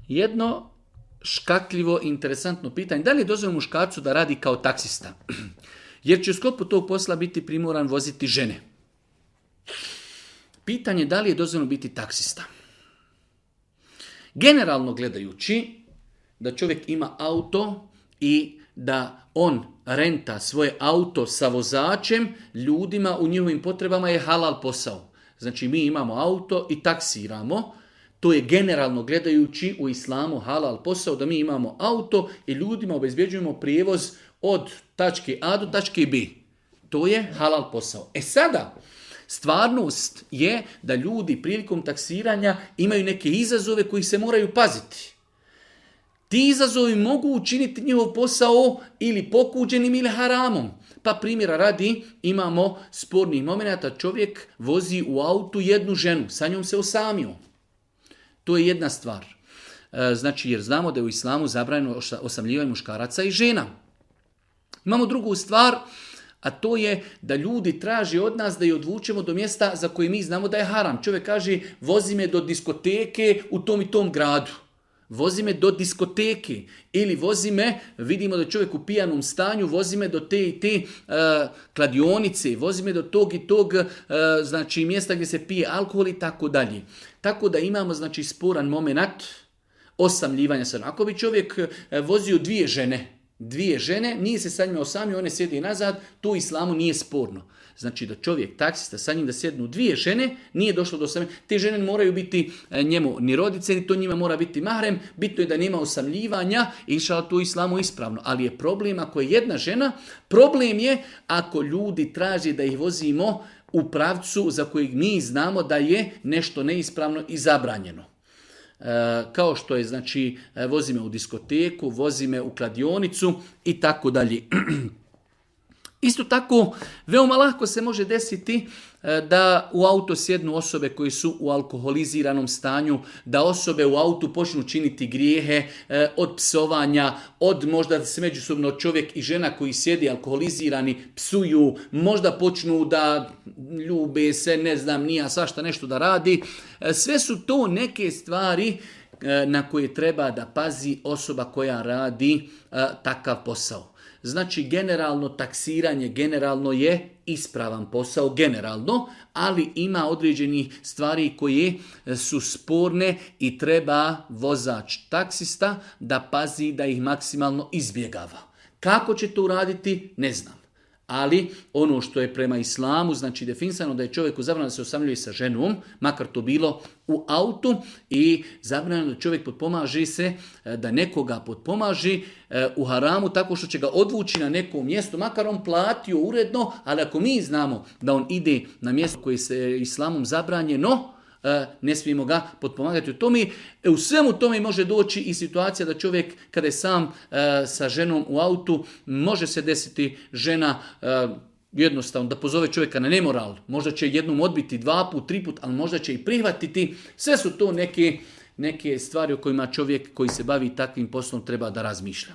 jedno škakljivo, interesantno pitanje. Da li je dozvoljeno muškarcu da radi kao taksista? Jer će u sklopu tog posla biti primoran voziti žene. Pitanje da li je dozvoljeno biti taksista. Generalno gledajući, da čovjek ima auto i da on renta svoje auto sa vozačem, ljudima u njihovim potrebama je halal posao. Znači mi imamo auto i taksiramo. To je generalno gledajući u islamu halal posao, da mi imamo auto i ljudima obezbjeđujemo prijevoz od tačke A do tačke B. To je halal posao. Sada, stvarnost je da ljudi prilikom taksiranja imaju neke izazove koji se moraju paziti. Ti izazovi mogu učiniti njihov posao ili pokuđenim ili haramom. Pa primjera radi, imamo spornih momenata, čovjek vozi u autu jednu ženu, sa njom se osamio. To je jedna stvar. Znači, jer znamo da je u islamu zabranjeno osamljivanje muškaraca i žena. Imamo drugu stvar, a to je da ljudi traže od nas da je odvučemo do mjesta za koje mi znamo da je haram. Čovjek kaže, vozi me do diskoteke u tom i tom gradu. Vozi me do diskoteke ili vozi me, vidimo da je čovjek u pijanom stanju, vozi me do te i te kladionice, vozi me do tog i tog znači, mjesta gdje se pije alkohol i tako dalje. Tako da imamo znači, sporan moment osamljivanja. Ako bi čovjek vozio dvije žene, nije se sa njima osamio, one sjedi nazad, to u islamu nije sporno. Znači da čovjek, taksista, sa njim da sjednu dvije žene, nije došlo do osamljivanja. Te žene moraju biti njemu ni rodice, ni to njima mora biti mahrem. Bitno je da nema osamljivanja i inšallah to u islamu ispravno. Ali je problem ako je jedna žena, problem je ako ljudi traže da ih vozimo u pravcu za kojeg mi znamo da je nešto neispravno i zabranjeno. Kao što je, znači, vozi me u diskoteku, vozi me u kladionicu i tako dalje. Isto tako, veoma lako se može desiti da u auto sjednu osobe koji su u alkoholiziranom stanju, da osobe u autu počnu činiti grijehe od psovanja, od možda se međusobno čovjek i žena koji sjedi alkoholizirani psuju, možda počnu da ljube se, ne znam, nija svašta nešto da radi. Sve su to neke stvari na koje treba da pazi osoba koja radi takav posao. Znači, generalno taksiranje, generalno je ispravan posao, generalno, ali ima određenih stvari koje su sporne i treba vozač taksista da pazi da ih maksimalno izbjegava. Kako će to uraditi, ne znam. Ali ono što je prema islamu, znači definisano da je čovjeku zabranjeno da se osamljuje sa ženom, makar to bilo u autu, i zabranjeno da čovjek potpomaže se, da nekoga potpomaži u haramu tako što će ga odvući na neko mjesto, makar on platio uredno, ali ako mi znamo da on ide na mjesto koje se islamom zabranjeno, ne smijemo ga potpomagati u tome. U svemu tome može doći i situacija da čovjek kada je sam sa ženom u autu, može se desiti žena jednostavno da pozove čovjeka na nemoral. Možda će jednom odbiti 2 put, 3 put, ali možda će i prihvatiti. Sve su to neke stvari o kojima čovjek koji se bavi takvim poslom treba da razmišlja.